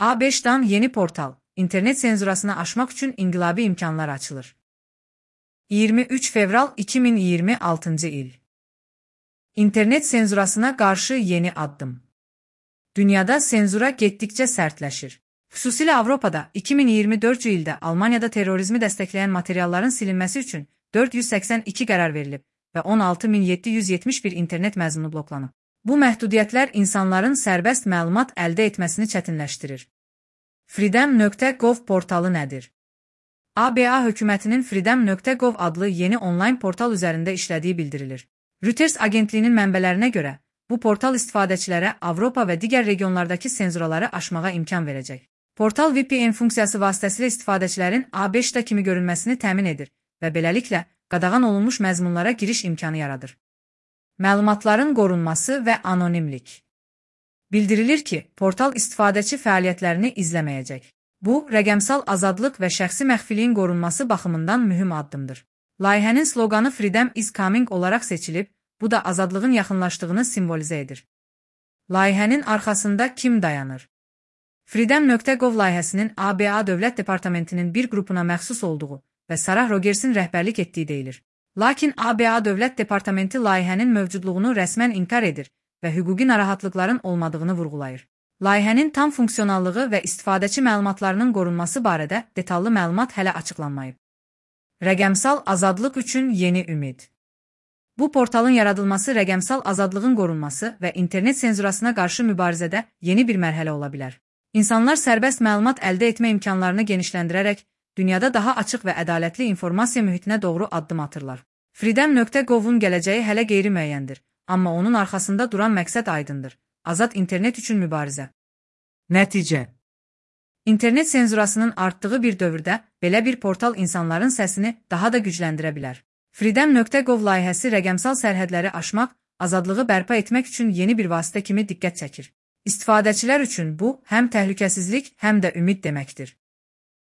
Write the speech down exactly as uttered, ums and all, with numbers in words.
A beşdən yeni portal, internet senzurasını aşmaq üçün inqilabi imkanlar açılır. iyirmi üç fevral iki min iyirmi altıncı il. İnternet senzurasına qarşı yeni addım. Dünyada senzura getdikcə sərtləşir. Xüsusilə Avropada iki min iyirmi dördüncü ildə Almaniyada terrorizmi dəstəkləyən materialların silinməsi üçün dörd yüz səksən iki qərar verilib və on altı min yeddi yüz yetmiş bir internet məzunu bloklanıb. Bu məhdudiyyətlər insanların sərbəst məlumat əldə etməsini çətinləşdirir. freedom nöqtə gov portalı nədir? A B A hökumətinin freedom nöqtə gov adlı yeni onlayn portal üzərində işlədiyi bildirilir. Reuters agentliyinin mənbələrinə görə, bu portal istifadəçilərə Avropa və digər regionlardakı senzuraları aşmağa imkan verəcək. Portal V P N funksiyası vasitəsilə istifadəçilərin A beşdə kimi görünməsini təmin edir və beləliklə qadağan olunmuş məzmunlara giriş imkanı yaradır. Məlumatların qorunması və anonimlik. Bildirilir ki, portal istifadəçi fəaliyyətlərini izləməyəcək. Bu, rəqəmsal azadlıq və şəxsi məxfiliyin qorunması baxımından mühüm addımdır. Layihənin sloqanı Freedom is coming olaraq seçilib, bu da azadlığın yaxınlaşdığını simvolizə edir. Layihənin arxasında kim dayanır? freedom nöqtə gov layihəsinin A B A Dövlət Departamentinin bir qrupuna məxsus olduğu və Sarah Rogersin rəhbərlik etdiyi deyilir. Lakin A B A Dövlət Departamenti layihənin mövcudluğunu rəsmən inkar edir və hüquqi narahatlıqların olmadığını vurğulayır. Layihənin tam funksionallığı və istifadəçi məlumatlarının qorunması barədə detallı məlumat hələ açıqlanmayıb. Rəqəmsal azadlıq üçün yeni ümid. Bu portalın yaradılması rəqəmsal azadlığın qorunması və internet senzurasına qarşı mübarizədə yeni bir mərhələ ola bilər. İnsanlar sərbəst məlumat əldə etmə imkanlarını genişləndirərək, dünyada daha açıq və ədalətli informasiya mühitinə doğru addım atırlar. freedom nöqtə govun gələcəyi hələ qeyri-müəyyəndir, amma onun arxasında duran məqsəd aydındır. Azad internet üçün mübarizə. Nəticə. İnternet senzurasının artdığı bir dövrdə belə bir portal insanların səsini daha da gücləndirə bilər. freedom nöqtə gov layihəsi rəqəmsal sərhədləri aşmaq, azadlığı bərpa etmək üçün yeni bir vasitə kimi diqqət çəkir. İstifadəçilər üçün bu, həm təhlükəsizlik, həm də ümid deməkdir.